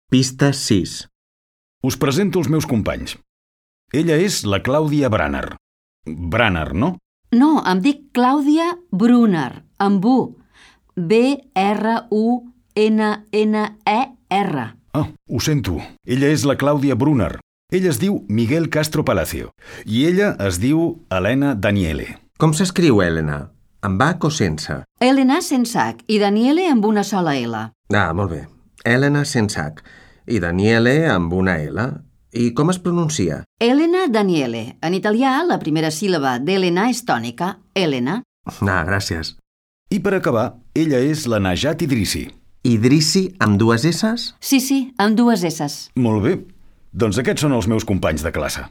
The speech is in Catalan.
Pista 6. Us presento els meus companys. Ella és la Clàudia Branner. Branner, no? No, em dic Clàudia Brunner, amb U. B-R-U-N-N-E-R. Ho sento. Ella és la Clàudia Brunner. Ell es diu Miguel Castro Palacio. I ella es diu Elena Daniele. Com s'escriu, Helena? Amb H o sense? Helena sense H i Daniele amb una sola L. Molt bé. Helena sense H i Daniele amb una L. I com es pronuncia? Elena Daniele. En italià, la primera síl·laba d'Elena és tònica, Elena. Gràcies. I per acabar, ella és la Najat Idrissi. Idrissi amb dues S's? Sí, amb dues S's. Molt bé. Doncs aquests són els meus companys de classe.